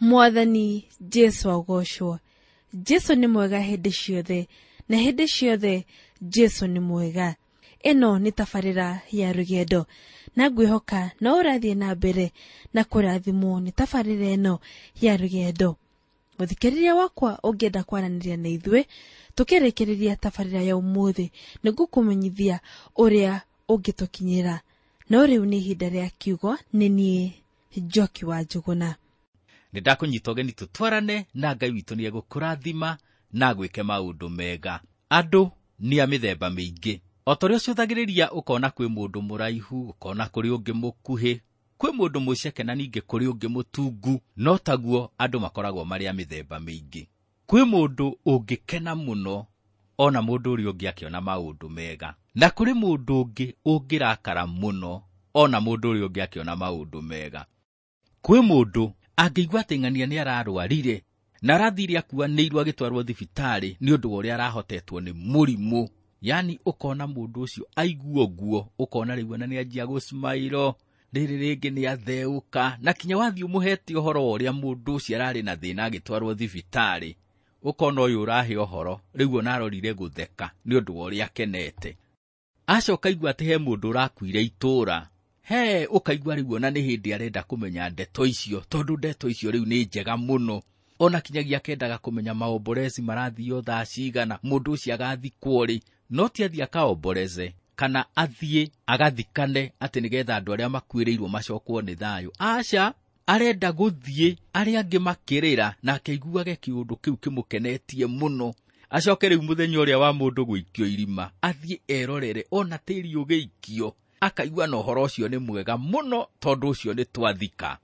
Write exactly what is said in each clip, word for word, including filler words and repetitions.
Mwathani Jesu agocwo. Jesu nĩ mwega hĩndĩ ciothe, na hĩndĩ ciothe Jesu nĩ mwega. Ĩno nĩ tabarĩra ya rũgendo, na ngwĩhoka no ũrathiĩ na mbere na kũrathimwo nĩ tabarĩra ĩno ya rũgendo. Mũthikĩrĩria wakwa, ũngĩenda kwaranĩria na ithuĩ tũkĩrĩkĩrĩria tabarĩra ya ũmũthĩ, nĩngũkũmenyithia ũrĩa ũngĩtũkinyĩra. No rĩu nĩ ihinda rĩa kiugo, nĩ niĩ Njoki wa Njũgũna. Nĩ ndakũnyita ũgeni tũtwarane na Ngai witũ nĩ egũkũrathima na agwĩke maũndũ mega. Andũ nĩ a mĩthemba mĩingĩ. O ta ũrĩa ũcũthagĩrĩria, ũkona kwĩ mũndũ mũraihu, ũkona kũrĩ ũngĩ mũkuhĩ, kwĩ mũndũ mũceke na ningĩ kũrĩ ũngĩ mũtungu, no taguo andũ makoragwo marĩ a mĩthemba mĩingĩ. Kwĩ mũndũ ũngĩkena mũno ona mũndũ ũrĩa ũngĩ akĩona maũndũ mega, na kũrĩ mũndũ ũngĩ ũngĩrakara mũno ona mũndũ ũrĩa ũngĩ akĩona maũndũ mega. Kwĩ mũndũ angĩigua atĩ ng'ania nĩ ararwarire na arathire akuanĩirwo agĩtwarwo thibitarĩ nĩ ũndũ wa ũrĩa arahotetwo nĩ mũrimũ, yani ũkona mũndũ ũcio aigua ũguo, ũkona rĩu ona nĩ anjia gũsmailo, rĩrĩ rĩngĩ nĩ atheũka, na kinya wathiĩ ũmũhete ũhoro wa ũrĩa mũndũ ũcio ararĩ na thĩna agĩtwarwo thibitarĩ, ũkona ũyũ ũrahe ũhoro rĩu ona arorire gũtheka nĩ ũndũ wa ũrĩa akenete. Acoka aigua atĩ he mũndũ ũrakuire itũũra, he ũkaigua rĩu ona nĩ hĩndĩ arenda kũmenya ndeto icio, tondũ ndeto icio rĩu nĩ njega mũno. Ona kinyagia akendaga kũmenya maomborezi marathiĩ thaa cigana, mũndũ ũcio agathikwo rĩ, no ti athiĩ akaomboreze kana athiĩ agathikane atĩ nĩgetha andũ arĩa makuĩrĩirwo macokwo nĩ thayũ. Aca, arenda gũthiĩ arĩa angĩ makĩrĩra na akeiguage kĩũndũ kĩu kĩmũkenetie mũno. Acoke rĩu mũthenya ũrĩa wa mũndũ gũikio irima athiĩ erorere ona tĩri ũgĩikio, akaigua na ũhoro ũcio nĩ mwega mũno tondũ ũcio nĩ twathika.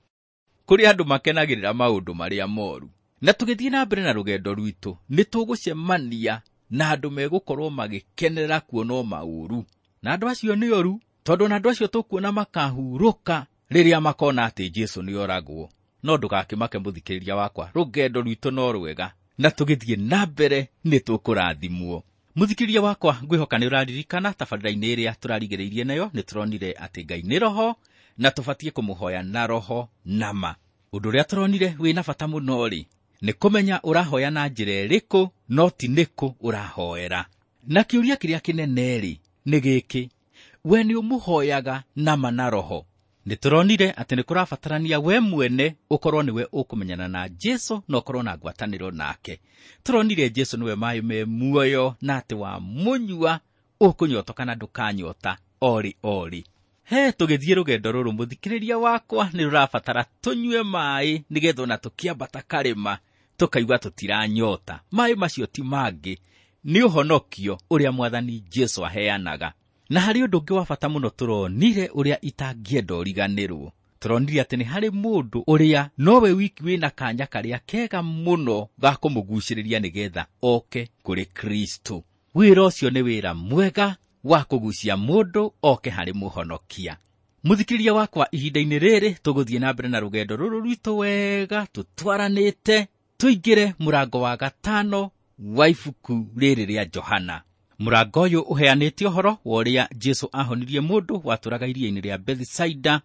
Kũrĩ andũ makenagĩrĩra maũndũ marĩa moru. Na tũgĩthiĩ na mbere na rũgendo rwitũ, nĩ tũgũcemania na andũ megũkorwo magĩkenera kuona maũru. Na andũ acio nĩ oru, tondũ na andũ acio tũkuona makahurũka rĩrĩa makona atĩ Jesu nĩ oragwo. No ndũgakĩmake mũthikĩrĩria wakwa, rũgendo rwitũ no rwega, na tũgĩthiĩ na mbere nĩ tũkũrathimwo. Mũthikĩrĩria wakwa, ngwĩhoka nĩ ũraririkana tabarĩra-inĩ ĩrĩa tũrarigĩrĩirie nayo, nĩ tũronire atĩ Ngai nĩ roho na tũbatiĩ kũmũhoya na roho na ma. Ũndũ ũrĩa tũronire wĩna bata mũno rĩ, nĩ kũmenya ũrahoya na njĩra ĩrĩkũ, no ti nĩkũ ũrahoera. Na kĩũria kĩrĩa kĩnene rĩ, nĩ gĩkĩ: we nĩ ũmũhoyaga na ma na roho? Nĩ tũronire atĩ nĩ kũrabatarania we mwene ũkorwo nĩwe ũkũmenyana na Jesu na ũkorwo na ngwatanĩro nake. Tũronire Jesu nĩwe maĩ me muoyo, na atĩ wamũnyua ũkũnyota kana ndũkanyota orĩ orĩ. He tũgĩthiĩ rũgendo rũrũ mũthikĩrĩria wakwa, nĩ rũrabatara tũnyue maĩ nĩgetha ona tũkĩambata karĩma tũkaigua tũtiranyota. Maĩ macio ti mangĩ, nĩ ũhonokio ũrĩa Mwathani Jesu aheanaga. Na harĩ ũndũ ũngĩ wa bata mũno tũronire ũrĩa itangĩenda ũriganĩrwo. Tũronire atĩ nĩ harĩ mũndũ ũrĩa nowe wiki wĩna kanya karĩa kega mũno ga kũmũgucĩrĩria nĩgetha oke kũrĩ Kristo. Wĩra ũcio nĩ wĩra mwega wa kũgucia mũndũ oke harĩ mũhonokia. Mũthikĩrĩria wakwa, ihinda-inĩ rĩrĩ tũgũthiĩ na mbere na rũgendo rũrũ rwitũ wega tũtwaranĩte, tũingĩre mũrango wa gatano wa ibuku rĩrĩ rĩa Johana. Mũrango ũyũ ũheanĩte ũhoro wa ũrĩa Jesu ahonirie mũndũ watũraga iria-inĩ rĩa Bethisaida,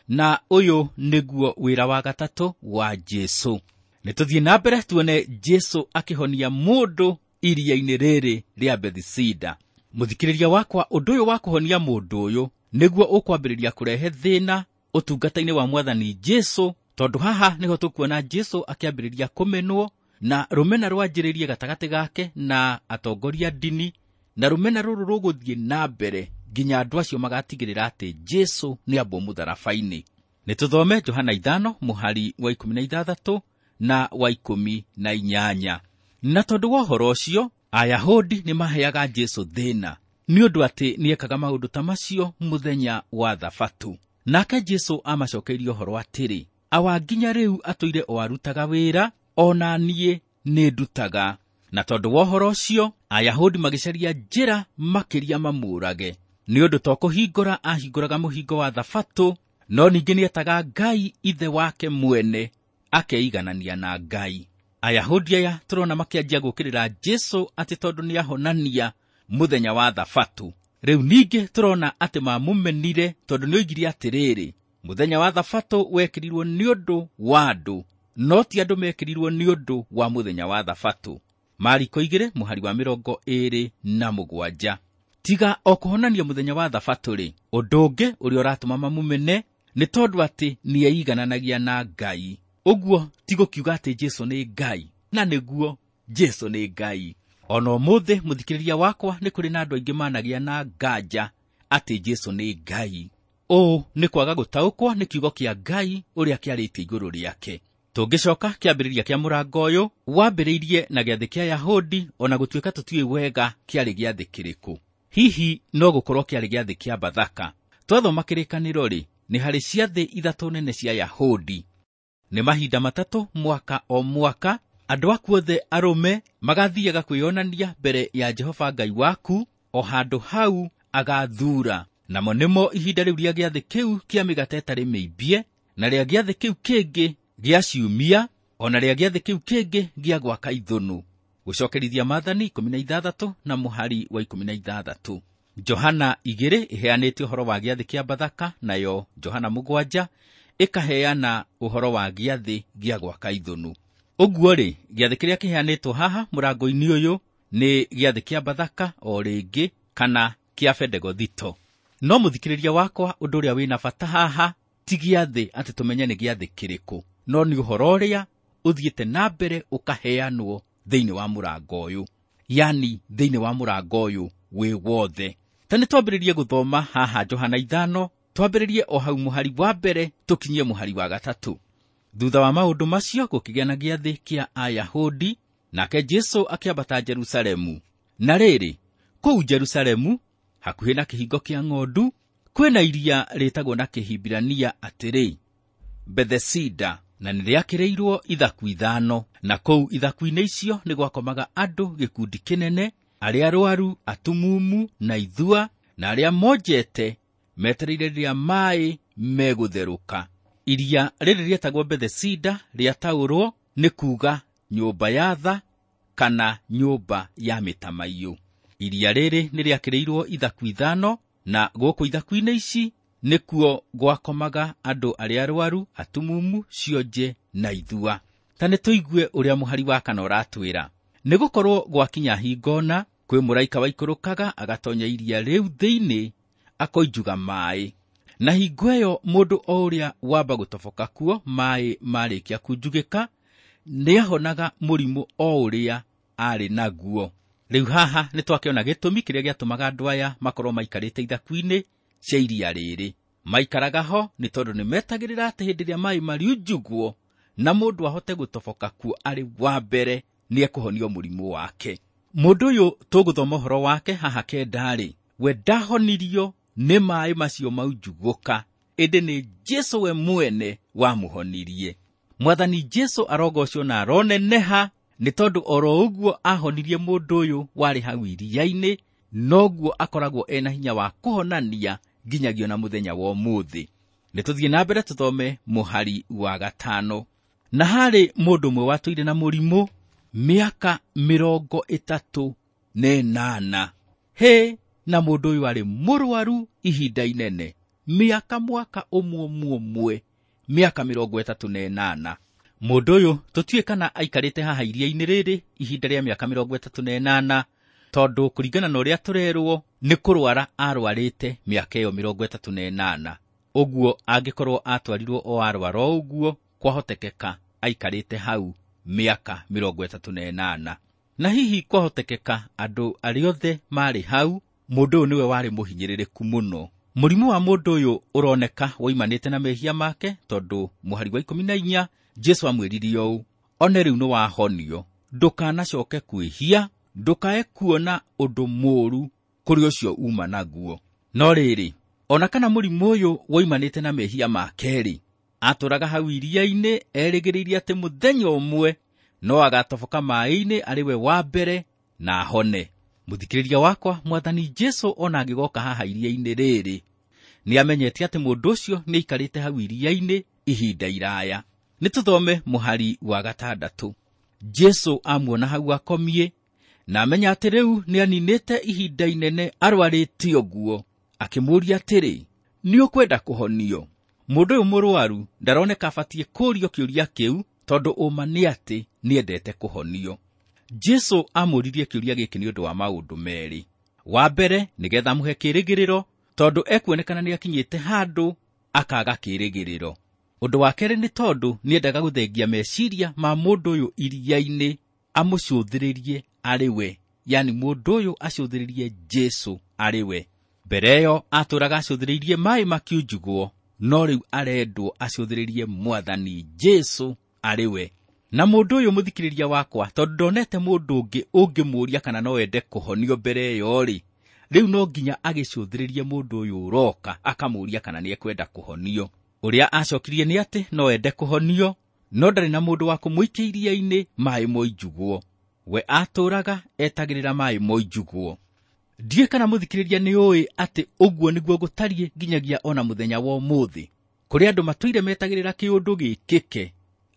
na ũyũ nĩguo wĩra wa gatatũ wa Jesu. Nĩ tũthiĩ na mbere tuone Jesu akĩhonia mũndũ iria-inĩ rĩrĩ rĩa Bethisaida. Mũthikĩrĩria wakwa, ũndũ ũyũ wa kũhonia mũndũ ũyũ nĩguo ũkwambĩrĩria kũrehe thĩna ũtungata-inĩ wa Mwathani Jesu, tondũ haha nĩho tũkuona Jesu akĩambĩrĩria kũmenwo, na rũmena rwanjĩrĩrie gatagatĩ gake na atongoria ndini, na rũmena rũrũ rũgũthiĩ na mbere nginya andũ acio magatigĩrĩra atĩ Jesu nĩ ambwo mũtharaba-inĩ. Nĩ tũthome Johana ithano mũhari wa ikũmi na ithathatũ na wa ikũmi na inyanya. Na tondũ wa ũhoro ũcio, Ayahudi nĩ maheaga Jesu thĩna nĩ ũndũ atĩ nĩekaga maũndũ ta macio mũthenya wa Thabatũ. Nake Jesu amacokeirie ũhoro atĩrĩ, awa nginya rĩu atũire o arutaga wĩra, ona niĩ nĩ ndutaga. Na tondũ wa ũhoro ũcio, Ayahudi magĩcaria njĩra makĩria mamũũrage, nĩ ũndũ to kũhingũra ahingũraga mũhingo wa Thabatũ, no ningĩ nĩetaga Ngai ithe wake mwene, akeiganania na Ngai. Ayahudi aya tũrona makĩanjia gũũkĩrĩra Jesu atĩ tondũ nĩahonania mũthenya wa Thabatũ. Rĩu ningĩ tũrona atĩ mamũmenire tondũ nĩoigire atĩrĩrĩ, mũthenya wa Thabatũ wekĩrirwo nĩ ũndũ wa andũ, no ti andũ mekĩrirwo nĩ ũndũ wa mũthenya wa Thabatũ. Mariko igĩrĩ mũhari wa mĩrongo ĩĩrĩ na mũgwanja. Tiga o kũhonania mũthenya wa Thabatũ-rĩ, ũndũ ũngĩ ũrĩa ũratũma mamũmene nĩ tondũ atĩ nĩeigananagia na Ngai. Ũguo ti gũkiuga atĩ Jesũ nĩ Ngai, na nĩguo Jesũ nĩ Ngai. Ona ũmũthĩ mũthikĩrĩria wakwa, nĩ kũrĩ na andũ aingĩ managĩa na nganja atĩ Jesũ nĩ Ngai. Ũũ nĩ kwaga gũtaũkwo nĩ kiugo kĩa Ngai ũrĩa kĩarĩtie igũrũ rĩake. Tũngĩcoka kĩambĩrĩria kĩa mũrango ũyũ wambĩrĩirie na gĩathĩ kĩa Yahudi, ona gũtuĩka tũtiũĩ wega kĩarĩ gĩathĩ kĩrĩkũ. Hihi no gũkorwo kĩarĩ gĩathĩ kĩa Bathaka. Twathoma kĩrĩkanĩro-rĩ, nĩ harĩ ciathĩ ithatũ nene cia Yahudi. Nĩ mahinda matatũ mwaka o mwaka andũ aku othe arũme magathiaga kwĩyonania mbere ya Jehova Ngai waku o handũ hau agathuura. Namo nĩmo ihinda rĩu rĩa gĩathĩ kĩu kĩa mĩgate ĩtarĩ mĩimbie, na rĩa gĩathĩ kĩu kĩngĩ gĩa ciumia, ona rĩa gĩathĩ kĩu kĩngĩ gĩa gwaka ithũnũ. Gũcokerithia Maathani ikũmi na ithathatũ na mũhari wa ikũmi na ithathatũ. Johana igĩrĩ ĩheanĩte ũhoro wa gĩathĩ kĩa Bathaka, nayo Johana mũgwanja ĩkaheana ũhoro wa gĩathĩ gĩa gwaka ithũnũ. Ũguo-rĩ, gĩathĩ kĩrĩa kĩheanĩtwo haha mũrango-inĩ ũyũ nĩ gĩathĩ kĩa Bathaka o rĩngĩ kana kĩa Bendegothito. No mũthikĩrĩria wakwa, ũndũ ũrĩa wĩna bata haha ti gĩathĩ atĩ tũmenye nĩ gĩathĩ kĩrĩkũ, no nĩ ũhoro ũrĩa ũthiĩte na mbere ũkaheanwo thĩinĩ wa mũrango ũyũ, yani thĩinĩ wa mũrango ũyũ wĩ wothe. Ta nĩ twambĩrĩrie gũthoma haha Johana ithano, twambĩrĩrie o hau mũhari wa mbere tũkinyie mũhari wa gatatũ. Thutha wa maũndũ macio gũkĩgĩa na gĩathĩ kĩa Ayahudi, nake Jesũ akĩambata Jerusalemu. Na rĩrĩ, kũu Jerusalemu hakuhĩ na kĩhingo kĩa ng'ondu kwĩna iria rĩtagwo na Kĩhibirania atĩrĩ, Bethesida, na nĩrĩakĩrĩirwo ithaku ithano. Na kũu ithaku-inĩ icio nĩ gwakomaga andũ gĩkundi kĩnene, arĩa arwaru, atumumu na ithua, na arĩa monjete metereire rĩrĩa maaĩ megũtherũka. Iria rĩrĩ rĩetagwo Bethesida rĩataũrwo nĩ kuuga nyũmba ya tha kana nyũmba ya mĩtamaiyũ. Iria rĩrĩ nĩrĩakĩrĩirwo ithaku ithano, na gũkũ ithaku-inĩ ici nĩkuo gwakomaga andũ arĩa arwaru, atumumu, cionje na ithua. Ta nĩ tũigue ũrĩa mũhari wa kana ũratwĩra. Nĩgũkorwo gwakinya hingona, kwĩ mũraika waikũrũkaga agatonya iria rĩu thĩinĩ akoinjuga maaĩ. Na hingo ĩyo mũndũ o ũrĩa wamba gũtoboka kuo maaĩ marĩkia kunjugĩka, nĩahonaga mũrimũ o ũrĩa arĩ naguo. Rĩu haha nĩtwakĩona gĩtũmi kĩrĩa gĩatũmaga andũ aya makorwo maikarĩte ithaku-inĩ cia iria rĩrĩ. Maikaraga ho nĩ tondũ nĩmetagĩrĩra atĩ hĩndĩ ĩrĩa maaĩ mariunjugwo na mũndũ ahote gũtoboka kuo arĩ wa mbere, nĩekũhonio mũrimũ wake. Mũndũ ũyũ tũgũthoma ũhoro wake haha kenda-rĩ, we ndahonirio nĩ maaĩ macio maunjugũka, ĩndĩ nĩ Jesũ we mwene wamũhonirie. Mwathani Jesũ arogocwo na aroneneha, nĩ tondũ oro ũguo ahonirie mũndũ ũyũ warĩ hau iria-inĩ, noguo akoragwo ena hinya wa kũhonania nginyagia na mũthenya wa ũmũthĩ. Nĩ tũthiĩ na mbere tũthome mũhari wa gatano. Na harĩ mũndũ ũmwe watũire na mũrimũ mĩaka mĩrongo ĩtatũ na ĩnana. Hĩ, na mũndũ ũyũ arĩ mũrwaru ihinda inene, mĩaka mwaka ũmwe ũmwe ũmwe, mĩaka mĩrongo ĩtatũ na ĩnana. Mũndũ ũyũ tũtiũĩ kana aikarĩte haha iria-inĩ rĩrĩ ihinda rĩa mĩaka mĩrongo ĩtatũ na ĩnana, tondũ kũringana na ũrĩa tũrerwo nĩ kũrwara arwarĩte mĩaka ĩyo mĩrongo ĩtatũ na ĩnana. Ũguo angĩkorwo atwarirwo o arwara o ũguo, kwahotekeka aikarĩte hau mĩaka mĩrongo ĩtatũ na ĩnana. Na hihi kwahotekeka andũ arĩa othe marĩ hau, mũndũ ũyũ nĩwe warĩ mũhinyĩrĩrĩku mũno. Mũrimũ wa mũndũ ũyũ ũroneka woimanĩte na mehia make, tondũ mũhari wa ikũmi na inya Jesũ amwĩrire ũũ, one rĩu nĩwahonio, ndũkanacoke kwĩhia, ndũkae kuona ũndũ mũũru kũrĩ ũcio uma naguo. No rĩrĩ, ona kana mũrimũ ũyũ woimanĩte na mehia make-rĩ, atũraga hau iria-inĩ erĩgĩrĩire atĩ mũthenya ũmwe no agatoboka maaĩ-inĩ arĩ we wa mbere na ahone. Mũthikĩrĩria wakwa, Mwathani Jesũ ona angĩgoka haha iria-inĩ rĩrĩ, nĩamenyete atĩ mũndũ ũcio nĩaikarĩte hau iria-inĩ ihinda iraya. Nĩtũthome mũhari wa gatandatũ. Jesũ amuona hau akomie, na amenya atĩ rĩu nĩaninĩte ihinda inene arwarĩte ũguo, akĩmũũria atĩrĩ, nĩũkwenda kũhonio? Mũndũ ũyũ mũrwaru ndaroneka abatiĩ kũũrio kĩũria kĩu, Tondũ ũma nĩ atĩ nĩendete kũhonio. Jesũ amũririe kĩũria gĩkĩ nĩ ũndũ wa maũndũ merĩ. Wa mbere, nĩgetha amũhe kĩĩrĩgĩrĩro, tondũ ekuonekana nĩakinyĩte handũ akaga kĩĩrĩgĩrĩro. Ũndũ wa kerĩ nĩ tondũ nĩendaga gũthengia meciria ma mũndũ ũyũ iria-inĩ amũcũthĩrĩrie arĩ we, yani mũndũ ũyũ acũthĩrĩrie Jesũ arĩ we. Mbere ĩyo atũraga acũthĩrĩirie maĩ makiunjugwo, no rĩu arendwo acũthĩrĩrie Mwathani Jesũ arĩ we. Na mũndũ ũyũ mũthikĩrĩria wakwa, tondũ ndonete mũndũ ũngĩ ũngĩmũũria kana no ende kũhonio mbere ĩyo-rĩ, rĩu no nginya agĩcũthĩrĩrie mũndũ ũyũ ũroka akamũũria kana nĩekwenda kũhonio. Ũrĩa acokirie nĩ atĩ no ende kũhonio, no ndarĩ na mũndũ wa kũmũikia iria-inĩ maĩ moinjugwo. We atũraga etagĩrĩra maĩ moinjugwo. Ndiũĩ kana mũthikĩrĩria nĩ ũĩ atĩ ũguo nĩguo gũtariĩ nginyagia ona mũthenya wa ũmũthĩ. Kũrĩ andũ matũire metagĩrĩra kĩũndũ gĩkĩke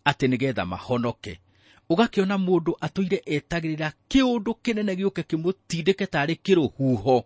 atĩ nĩgetha mahonoke. Ũgakĩona mũndũ atũire etagĩrĩra kĩũndũ kĩnene gĩũke kĩmũtindĩke tarĩ kĩrũhuho.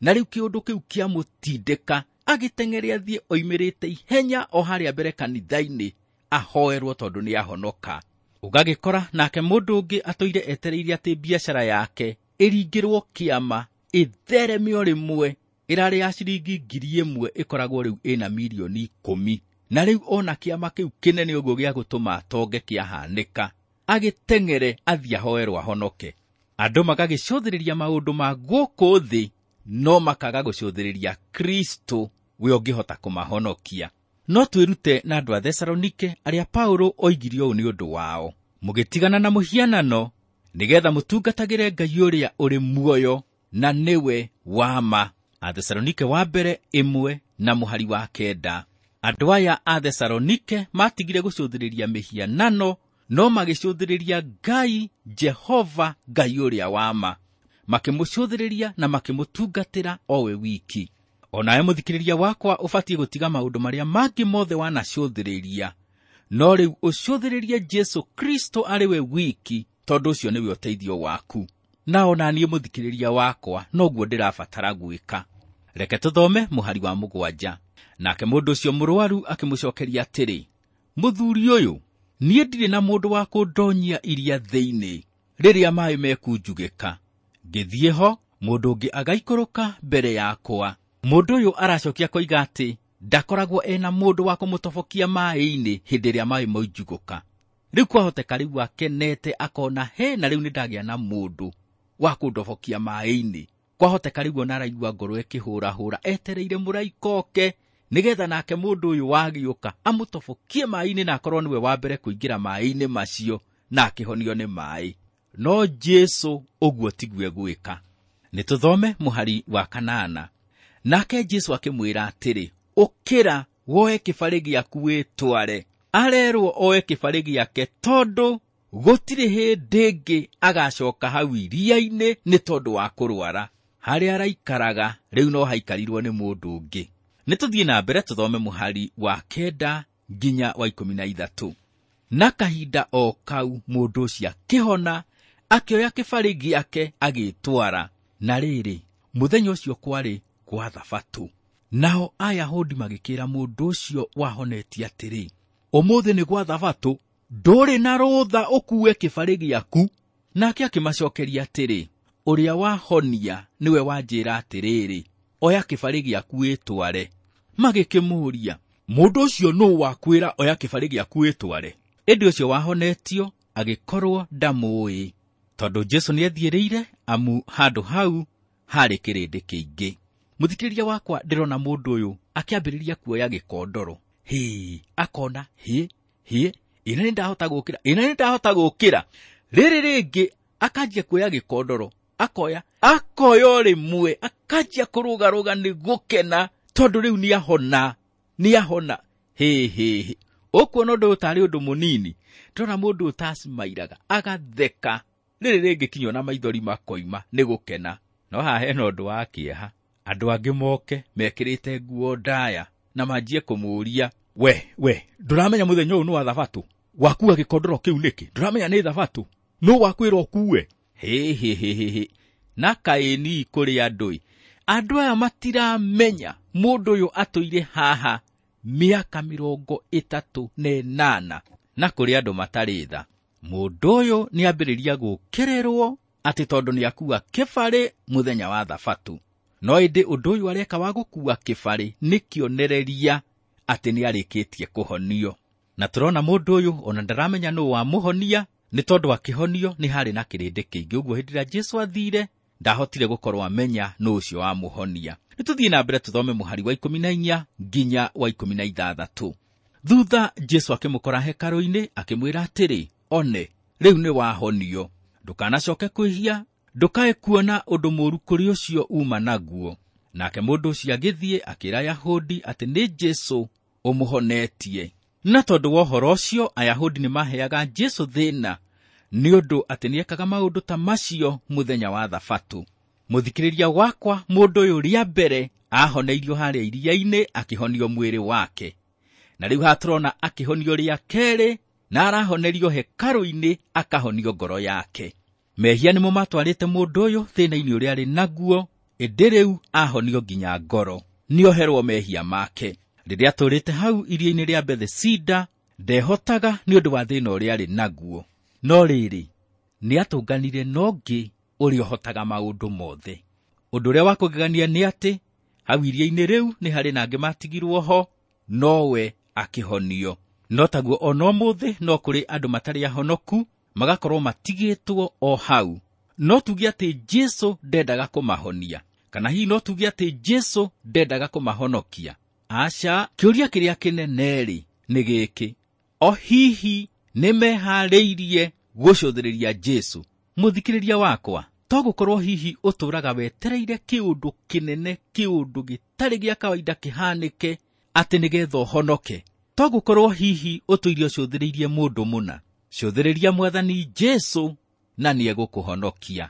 Na rĩu kĩũndũ kĩu kĩamũtindĩka, agĩteng'ere athiĩ oimĩrĩte ihenya o harĩa mbere kanitha-inĩ ahoerwo tondũ nĩahonoka. Ũgagĩkora nake mũndũ ũngĩ atũire etereire atĩ biacara yake ĩringĩrwo kĩama ĩthereme o rĩmwe, ĩrarĩ ya ciringi ngiri ĩmwe ĩkoragwo rĩu ĩna mirioni ikũmi. Na rĩu ona kĩama kĩu kĩnene ũguo gĩa gũtũma atonge kĩahanĩka, agĩteng'ere athiĩ ahoerwo ahonoke. Andũ magagĩcũthĩrĩria maũndũ ma gũkũ thĩ, no makaga gũcũthĩrĩria Kristo we ũngĩhota kũmahonokia. No twĩrute na andũ a Thesalonike arĩa Paulo oigire ũũ nĩ ũndũ wao: mũgĩtigana na mũhianano nĩgetha mũtungatagĩre Ngai ũrĩa ũrĩ muoyo na nĩwe wa ma. A Thesalonike wa mbere ĩmwe na mũhari wa kenda. Andũ aya a Thesalonike matigire gũcũthĩrĩria mĩhianano, no magĩcũthĩrĩria Ngai Jehova, Ngai ũrĩa wa ma. Makĩmũcũthĩrĩria na makĩmũtungatĩra o we wiki. Onawe mũthikĩrĩria wakwa ũbatiĩ gũtiga maũndũ marĩa mangĩ mothe wanacũthĩrĩria, no rĩu ũcũthĩrĩrie Jesũ Kristo arĩ we wiki, tondũ ũcio nĩwe ũteithio waku. Na ona niĩ mũthikĩrĩria wakwa noguo ndĩrabatara gwĩka. Reke tũthome mũhari wa mũgwanja. Nake mũndũ ũcio mũrwaru akĩmũcokeria atĩrĩ, mũthuri ũyũ, niĩ ndirĩ na mũndũ wa kũndonyia iria thĩinĩ rĩrĩa maĩ mekunjugĩka. Ngĩthiĩ ho, mũndũ ũngĩ agaikũrũka mbere yakwa. Mũndũ ũyũ aracokia koiga atĩ ndakoragwo ena mũndũ wa kũmũtobokia maĩ-inĩ hĩndĩ ĩrĩa maĩ moinjugũka. Rĩu kwahoteka rĩu akenete akona he, na rĩu nĩndagĩa na mũndũ wa kũndobokia maĩ-inĩ. Kwahoteka rĩu ona araigua ngoro ĩkĩhũrahũra etereire mũraika oke nĩgetha nake mũndũ ũyũ wagĩũka amũtobokie maĩ-inĩ na akorwo nĩwe wa mbere kũingĩra maĩ-inĩ macio na akĩhonio nĩ maĩ. No Jesũ ũguo tiguo egwĩka. Nĩtũthome mũhari wa kanana. Nake Jesũ akĩmwĩra atĩrĩ, ũkĩra woe kĩbarĩ gĩaku wĩtware. Arerwo oe kĩbarĩ gĩake tondũ gũtirĩ hĩndĩ ĩngĩ agacoka hau iria-inĩ nĩ tondũ wa kũrwara. Harĩa araikaraga rĩu no haikarirwo nĩ mũndũ ũngĩ. Nĩtũthiĩ na mbere tũthome mũhari wa kenda nginya wa ikũmi na ithatũ. Na kahinda o kau mũndũ ũcio akĩhona, akĩoya kĩbarĩ gĩake agĩtwara. Na rĩrĩ, mũthenya ũcio kwarĩ gwa Thabatũ. Nao Ayahudi magĩkĩra mũndũ ũcio wahonetie atĩrĩ, ũmũthĩ nĩ gwa Thabatũ, ndũrĩ na rũtha ũkue kĩbarĩ gĩaku. Nake akĩmacokeria atĩrĩ, ũrĩa wahonia nĩwe wanjĩra atĩrĩrĩ, oya kĩbarĩ gĩaku wĩtware. Magĩkĩmũũria, mũndũ ũcio nũũ wakwĩra oya kĩbarĩ gĩaku wĩtware? Ĩndĩ ũcio wahonetio agĩkorwo ndamũũĩ, tondũ Jesũ nĩethiĩrĩire, amu handũ hau harĩ kĩrĩndĩ kĩingĩ. Mũthikĩrĩria wakwa, ndĩrona mũndũ ũyũ akĩambĩrĩria kuoya gĩkondoro. Hĩ, akona hĩ, hĩ, ĩna nĩndahota gũkĩra, ĩna nĩndahota gũkĩra. Rĩrĩ rĩngĩ akanjia kuoya gĩkondoro, akoya, akoya o rĩmwe, akanjia kũrũgarũga nĩ gũkena, tondũ rĩu nĩahona, nĩahona. Hĩ, hĩ, hĩ. Ũkuona ũndũ ũyũ tarĩ ũndũ mũnini. Ndĩrona mũndũ ũtacimairaga, agatheka. Rĩrĩ rĩngĩ kinya ona maithori makoima nĩ gũkena. No haha hena ũndũ wa kĩeha. Andũ angĩ moke mekĩrĩte nguo ndaya na manjie kũmũũria, we, we, ndũramenya mũthenya ũyũ nĩ wa Thabatũ? Wakua gĩkondoro kĩu nĩkĩ? Ndũramenya nĩ Thabatũ? Nũ wakwĩra ũkue? Hĩ, hĩ, hĩ, hĩ, hĩ. Na kaĩ ni kũrĩ andũ-ĩ. Andũ aya matiramenya mũndũ ũyũ atũire haha mĩaka mĩrongo ĩtatũ na ĩnana. na kũrĩ andũ matarĩ tha. Mũndũ ũyũ nĩambĩrĩria gũũkĩrĩrwo atĩ tondũ nĩakua kĩbarĩ mũthenya wa thabatũ. No ĩndĩ ũndũ ũyũ areka wa gũkua kĩbarĩ nĩ kĩonereria atĩ nĩarĩkĩtie kũhonio. Na tũrona mũndũ ũyũ ona ndaramenya nũũ wamũhonia, nĩ tondũ akĩhonio nĩ harĩ na kĩrĩndĩ kĩingĩ. Ũguo hĩndĩ ĩrĩa Jesũ athire ndahotire gũkorwo amenya nũũ ũcio wamũhonia. Nĩtũthiĩ na mbere tũthome mũhari wa ikũmi na inya nginya wa ikũmi na ithathatũ. Thutha Jesũ akĩmũkora hekarũ-inĩ akĩmwĩra atĩrĩ, one, rĩu nĩ wahonio, ndũkanacoke kwĩhia, ndũkae kuona ũndũ mũũru kũrĩ ũcio uma naguo. Nake mũndũ ũcio agĩthiĩ akĩĩra Ayahudi atĩ nĩ Jesũ ũmũhonetie. Na tondũ wa ũhoro ũcio Ayahudi nĩmaheaga Jesũ thĩna nĩ ũndũ atĩ nĩekaga maũndũ ta macio mũthenya wa thabatũ. Mũthikĩrĩria wakwa, mũndũ ũyũ rĩa mbere ahoneirio harĩa iria-inĩ akĩhonio mwĩrĩ wake, na rĩu haha tũrona akĩhonio rĩa kerĩ na arahonerio hekarũ-inĩ akahonio ngoro yake. Mehia nĩmo matwarĩte mũndũ ũyũ thĩna-inĩ ũrĩa arĩ naguo, ĩndĩ rĩu ahonio nginya ngoro, nĩoherwo mehia make. Rĩrĩa atũrĩte hau iria-inĩ rĩa Bethesida ndehotaga nĩ ũndũ wa thĩna ũrĩa arĩ naguo. No rĩrĩ, nĩatũnganire na ũngĩ ũrĩa ũhotaga maũndũ mothe. Ũndũ ũrĩa wa kũgegania nĩ atĩ hau iria-inĩ rĩu nĩ harĩ na angĩ matigirwo ho, nowe akĩhonio. No taguo ona ũmũthĩ no kũrĩ andũ matarĩ ahonoku magakorwo matigĩtwo o hau. No tuge atĩ Jesũ ndendaga kũmahonia, kana hihi no tuge atĩ Jesũ ndendaga kũmahonokia? Aca, kĩũria kĩrĩa kĩnene-rĩ nĩ gĩkĩ: o hihi nĩmeharĩirie gũcũthĩrĩria Jesũ? Mũthikĩrĩria wakwa, to gũkorwo hihi ũtũũraga wetereire kĩũndũ kĩnene, kĩũndũ gĩtarĩ gĩa kawaida kĩhanĩke atĩ nĩgetha ũhonoke? To gũkorwo hihi ũtũire ũcũthĩrĩirie mũndũ mũna? Cũthĩrĩria Mwathani Jesũ na nĩegũkũhonokia.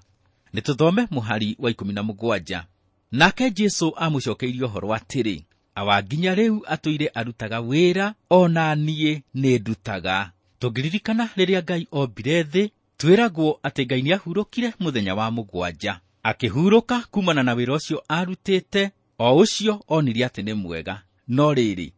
Nĩtũthome mũhari wa ikũmi na mũgwanja. Nake Jesũ amũcokeirie ũhoro atĩrĩ, awa nginya rĩu atũire arutaga wĩra, ona niĩ nĩndutaga. Tũngĩririkana rĩrĩa Ngai ombire thĩ, twĩragwo atĩ Ngai nĩahurũkire mũthenya wa mũgwanja. Akĩhurũka kumana na wĩra ũcio arutĩte, o ũcio onire atĩ nĩ mwega. No rĩrĩ,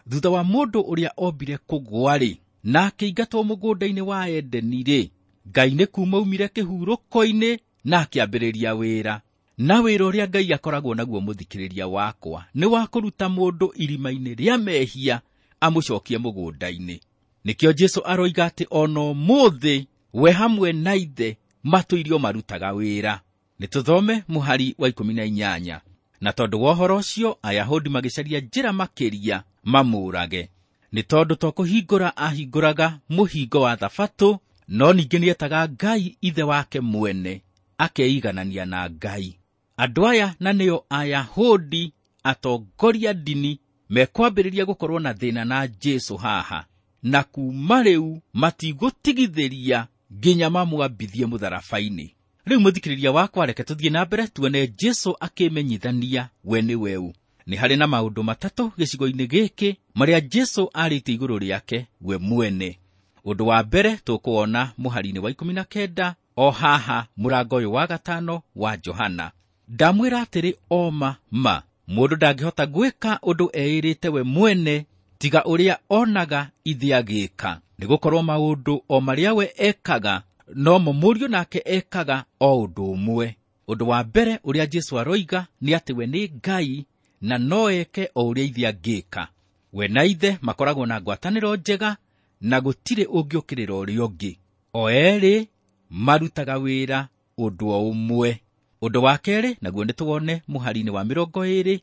thutha wa mũndũ ũrĩa ombire kũgwa-rĩ, na akĩingatwo mũgũnda-inĩ wa Edeni-rĩ, Ngai nĩ kuma aumire kĩhurũko-inĩ na akĩambĩrĩria wĩra. Na wĩra ũrĩa Ngai akoragwo naguo, mũthikĩrĩria wakwa, nĩ wa kũruta mũndũ irima-inĩ rĩa mehia amũcokie mũgũnda-inĩ. Nĩkĩo Jesũ aroiga atĩ ona ũmũthĩ we hamwe na ithe matũirio marutaga wĩra. Nĩtũthome mũhari wa ikũmi na inyanya. Na tondũ wa ũhoro ũcio Ayahudi magĩcaria njĩra makĩria mamũũrage, nĩ tondũ to kũhingũra ahingũraga mũhingo wa thabatũ, no ningĩ nĩetaga Ngai ithe wake mwene, akeiganania na Ngai. Andũ aya na nĩo Ayahudi atongoria ndini mekwambĩrĩria gũkorwo na thĩna na Jesũ haha, na kuma rĩu matigũtigithĩria nginya mamwambithie mũtharaba-inĩ. Rĩu mũthikĩrĩria wakwa, reke tũthiĩ na mbere tuone Jesũ akĩmenyithania we nĩ weũ. Nĩ harĩ na maũndũ matatũ gĩcigo-inĩ gĩkĩ marĩa Jesũ arĩtie igũrũ rĩake we mwene. Ũndũ wa mbere tũkũwona mũhari-inĩ wa ikũmi na kenda o haha mũrango ũyũ wa gatano wa Johana. Ndamwĩra atĩrĩ oma ma, mũndũ ndangĩhota gwĩka ũndũ eĩrĩte we mwene tiga ũrĩa onaga ithe agĩka, nĩgũkorwo maũndũ o marĩa we ekaga nomo mũriũ nake ekaga o ũndũ ũmwe. Ũndũ wa mbere ũrĩa Jesũ aroiga nĩ atĩ we nĩ Ngai na no eke o ũrĩa ithe angĩka. We na ithe makoragwo na ngwatanĩro njega na gũtirĩ ũngĩũkĩrĩra ũrĩa ũngĩ. O erĩ marutaga wĩra ũndũ o ũmwe. Ũndũ wa kerĩ naguo nĩtũwone mũhari-inĩ wa mĩrongo ĩrĩ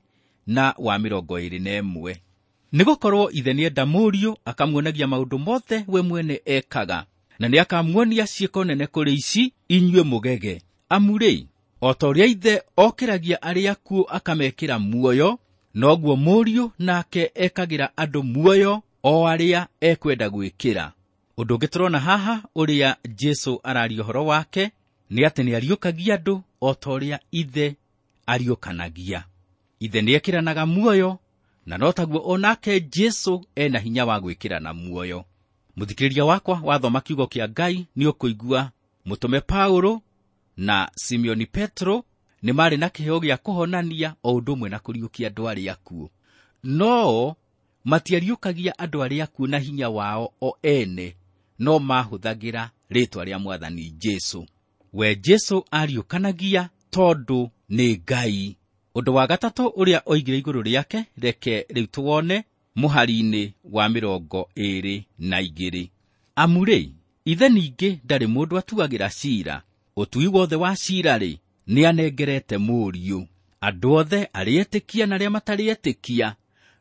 na wa mĩrongo ĩrĩ na ĩmwe. Nĩgũkorwo ithe nĩenda mũriũ akamuonagia maũndũ mothe we mwene ekaga, na nĩakamuonia ciĩko nene kũrĩ ici inyuĩ mũgege. Amu rĩ, o ta ũrĩa ithe okĩragia arĩa akuũ akamekĩra muoyo, noguo mũriũ nake ekagĩra andũ muoyo o arĩa ekwenda gwĩkĩra. Ũndũ ũngĩ tũrona haha ũrĩa Jesũ araria ũhoro wake nĩ atĩ nĩariũkagia andũ o ta ũrĩa ithe ariũkanagia. Ithe nĩekĩranaga muoyo, na no taguo onake Jesũ ena hinya wa gwĩkĩrana muoyo. Mũthikĩrĩria wakwa wathoma kiugo kĩa Ngai nĩ ũkũigua mũtũme Paulo na Simeoni Petro nĩ marĩ na kĩheo gĩa kũhonania o ũndũ ũmwe na kũriũkia andũ arĩa akuũ. No Matiariũkagia andũ arĩa akuũ na hinya wao o ene, no mahũthagĩra rĩĩtwa rĩa Mwathani Jesũ. We Jesũ ariũkanagia tondũ nĩ Ngai. Ũndũ wa gatatũ ũrĩa oigire igũrũ rĩake, reke rĩu tũwone mũhari-inĩ wa mĩrongo ĩĩrĩ na igĩrĩ. Amu rĩ, ithe ningĩ ndarĩ mũndũ atuagĩra ciira, ũtui wothe wa ciira-rĩ, nĩanengerete Mũriũ. Andũ othe arĩa etĩkia na arĩa matarĩ etĩkia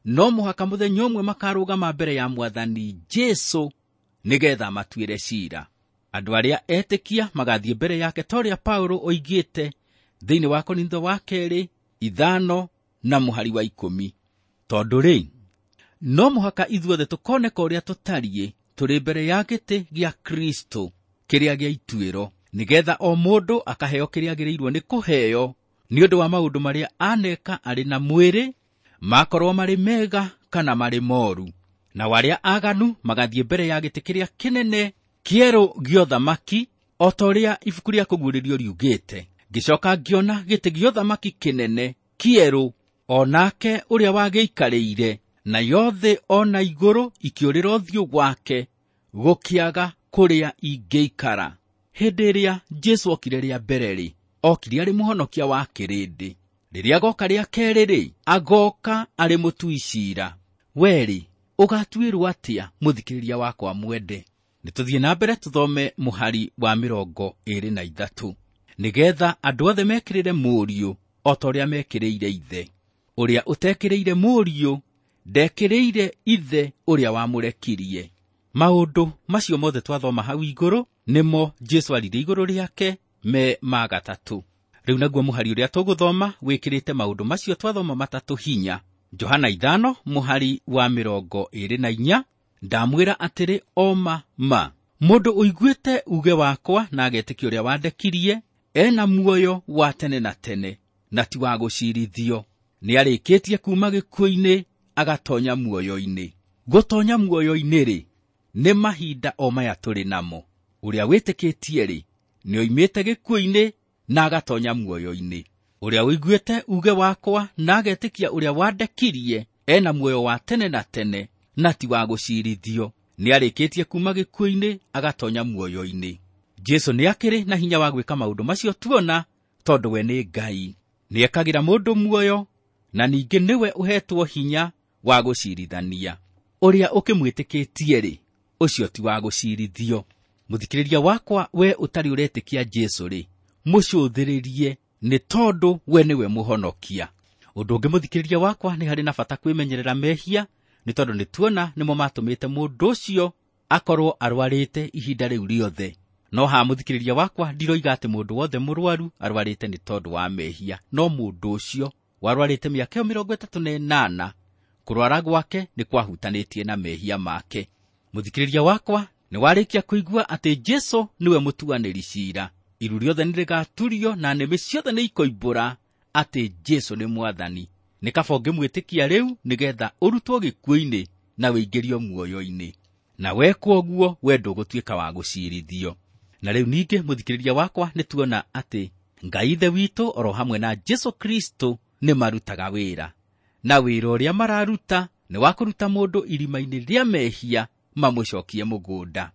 no mũhaka mũthenya ũmwe makarũgama mbere ya Mwathani Jesũ nĩgetha matuĩre ciira. Andũ arĩa etĩkia magathiĩ mbere yake ta ũrĩa Paũlũ oigĩte thĩinĩ wa Korintho wa kerĩ ithano na mũhari wa ikũmi. Tondũ rĩ, no mũhaka ithuothe tũkoneka ũrĩa tũtariĩ tũrĩ mbere ya gĩtĩ gĩa Kristo kĩrĩa gĩa ituĩro, nĩgetha o mũndũ akaheo kĩrĩa agĩrĩirwo nĩ kũheo nĩ ũndũ wa maũndũ marĩa aneka arĩ na mwĩrĩ, makorwo marĩ mega kana marĩ moru. Nao arĩa aganu magathiĩ mbere ya gĩtĩ kĩrĩa kĩnene kĩerũ gĩa ũthamaki, o ta ũrĩa ibuku rĩa kũguũrĩrio riugĩte. Ngĩcoka ngĩona gĩtĩ gĩa ũthamaki kĩnene kĩerũ, o nake ũrĩa wagĩikarĩire, nayo thĩ o na igũrũ ikĩũrĩra ũthiũ gwake, gũkĩaga kũrĩa ingĩikara. Hĩndĩ ĩrĩa Jesũ okire rĩa mbere-rĩ, okire arĩ mũhonokia wa kĩrĩndĩ. Rĩrĩa agoka rĩa kerĩ-rĩ, agoka arĩ mũtui ciira. We-rĩ, ũgatuĩrwo atĩa, mũthikĩrĩria wakwa mwende? Nĩtũthiĩ na mbere tũthome mũhari wa mĩrongo ĩĩrĩ na ithatũ. Nĩgetha andũ othe mekĩrĩre Mũriũ o ta ũrĩa mekĩrĩire Ithe. Ũrĩa ũtekĩrĩire Mũriũ ndekĩrĩire Ithe ũrĩa wamũrekirie. Maũndũ macio mothe twathoma hau igũrũ nĩmo Jesũ aririe igũrũ rĩake me ma gatatũ. Rĩu naguo mũhari ũrĩa tũgũthoma wĩkĩrĩte maũndũ macio twathoma matatũ hinya. Johana ithano mũhari wa mĩrongo ĩĩrĩ na inya, ndamwĩra atĩrĩ o ma ma, mũndũ ũiguĩte uge wakwa na agetĩkia ũrĩa wandekirie ena muoyo wa tene na tene, na ti wa gũcirithio. Nĩarĩkĩtie kuuma gĩkuũ-inĩ agatonya muoyo-inĩ. Gũtonya muoyo-inĩ rĩ, nĩ mahinda o maya tũrĩ namo. Ũrĩa wĩtĩkĩtie-rĩ, nĩoimĩte gĩkuũ-inĩ na agatonya muoyo-inĩ. Ũrĩa ũiguĩte uge wakwa na agetĩkia ũrĩa wandekirie ena muoyo wa tene na tene, na ti wa gũcirithio. Nĩarĩkĩtie kuuma gĩkuũ-inĩ agatonya muoyo-inĩ. Jesũ nĩakĩrĩ na hinya wa gwĩka maũndũ macio tuona, tondũ we nĩ Ngai. Nĩekagĩra mũndũ muoyo, na ningĩ nĩwe ũhetwo hinya wa gũcirithania. Ũrĩa ũkĩmwĩtĩkĩtie-rĩ, ũcio ti wa gũcirithio. Mũthikĩrĩria wakwa, we ũtarĩ ũretĩkia Jesũ rĩ, mũcũthĩrĩrie, nĩ tondũ we nĩwe mũhonokia. Ũndũ ũngĩ mũthikĩrĩria wakwa, nĩ harĩ na bata kwĩmenyerera mehia, nĩ tondũ nĩ tuona nĩmo matũmĩte mũndũ ũcio akorwo arwarĩte ihinda rĩu rĩothe. No haha mũthikĩrĩria wakwa, ndiroiga atĩ mũndũ wothe mũrwaru arwarĩte nĩ tondũ wa mehia, no mũndũ ũcio warwarĩte mĩaka ĩyo mĩrongo ĩtatũ na ĩnana, kũrwara gwake nĩ kwahutanĩtie na mehia make. Mũthikĩrĩria wakwa, nĩ warĩkia kũigua atĩ Jesũ nĩwe mũtuanĩri ciira. Iru rĩothe nĩrĩgaturio na nĩmĩ ciothe nĩikoimbũra atĩ Jesũ nĩ Mwathani. Nĩ kaba ũngĩmwĩtĩkia rĩu nĩgetha ũrutwo gĩkuũ-inĩ na ũingĩrio muoyo-inĩ. Na wekwo ũguo, we ndũgũtuĩka wa gũcirithio. Na rĩu ningĩ mũthikĩrĩria wakwa, nĩ tuona atĩ Ngai Ithe witũ oro hamwe na Jesũ Kristo nĩ marutaga wĩra. Na wĩra ũrĩa mararuta nĩ wa kũruta mũndũ irima-inĩ rĩa mehia mamũcokie mũgũnda.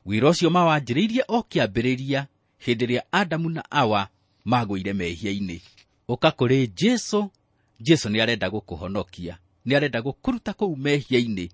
Wĩra ũcio mawanjĩrĩirie o kĩambĩrĩria hĩndĩ ĩrĩa Adamu na Awa magũire mehia-inĩ. Ũka kũrĩ Jesũ. Jesũ nĩarenda gũkũhonokia, nĩarenda gũkũruta kũu mehia-inĩ,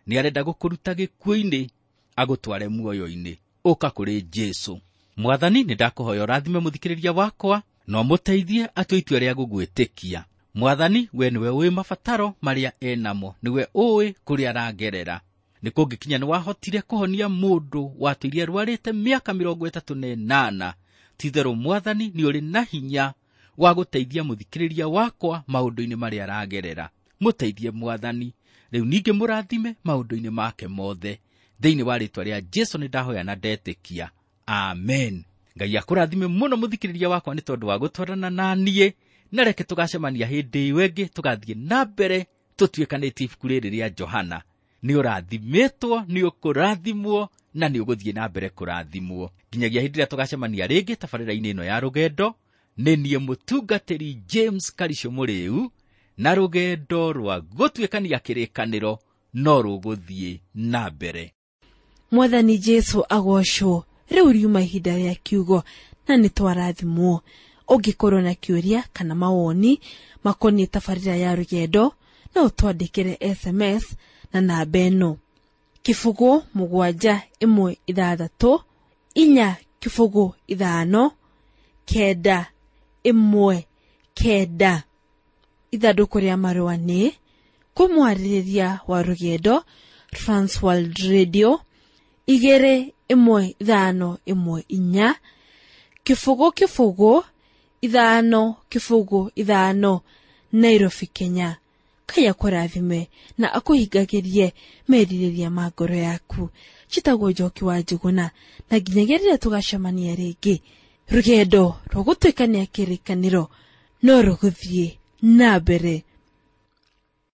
nĩarenda gũkũruta gĩkuũ-inĩ agũtware muoyo-inĩ. Ũka kũrĩ Jesũ. Mwathani, nĩndakũhoya ũrathime mũthikĩrĩria wakwa na ũmũteithie atue itua rĩa gũgwĩtĩkia. Mwathani, we nĩwe ũĩ mabataro marĩa enamo, nĩwe ũĩ kũrĩa aragerera. Nĩ kũngĩkinya nĩwahotire kũhonia mũndũ watũire arwarĩte mĩaka mĩrongo ĩtatũ na ĩnana. Ti-itherũ Mwathani, nĩ ũrĩ na hinya wa gũteithia mũthikĩrĩria wakwa maũndũ-inĩ marĩa aragerera. Mũteithie Mwathani, rĩu ningĩ mũrathime maũndũ-inĩ make mothe. Thĩinĩ wa rĩĩtwa rĩa Jesũ nĩndahoya na ndetĩkia. Amen. Ngai akũrathime mũno mũthikĩrĩria wakwa nĩ tondũ wa gũtwarana na niĩ, na reke tũgacemania hĩndĩ ĩyo ĩngĩ tũgathiĩ na mbere tũtuĩkanĩtie ibuku rĩrĩ rĩa Johana. Nĩ ũrathimĩtwo, nĩ ũkũrathimwo, na nĩ ũgũthiĩ na mbere kũrathimwo. Nginyagia hĩndĩ ĩrĩa tũgacemania rĩngĩ tabarĩra-inĩ ĩno ya rũgendo, nĩ niĩ mũtungatĩri James Karisho Mũrĩu, na rũgendo rwa gũtuĩkania kĩrĩkanĩro no rũgũthiĩ na mbere. Mwathani Jesu agocwo. Rĩu riuma ihinda rĩa kiugo na nĩ twarathimwo. Ũngĩkorwo na kĩũria kana mawoni makoniĩ tabarĩra ya rũgendo, no ũtwandĩkĩre S M S na namba ĩno: kĩbũgũ mũgwanja ĩmwe ithathatũ inya kĩbũgũ ithano kenda ĩmwe kenda. Ithandũkũ rĩa marũa nĩ kũmwarĩrĩria wa rũgendo, Transworld Radio igĩrĩ ĩmwe ithano ĩmwe inya kĩbũgũ kĩbũgũ ithano kĩbũgũ ithano, Nairobi, Kenya. Ngai akũrathime na akũhingagĩrie merirĩria ma ngoro yaku. Njĩtagwo Njoki wa Njũgũna, na nginyagia rĩrĩa tũgacemania rĩngĩ, rũgendo rwa gũtuĩkania kĩrĩkanĩro no rũgũthiĩ na mbere.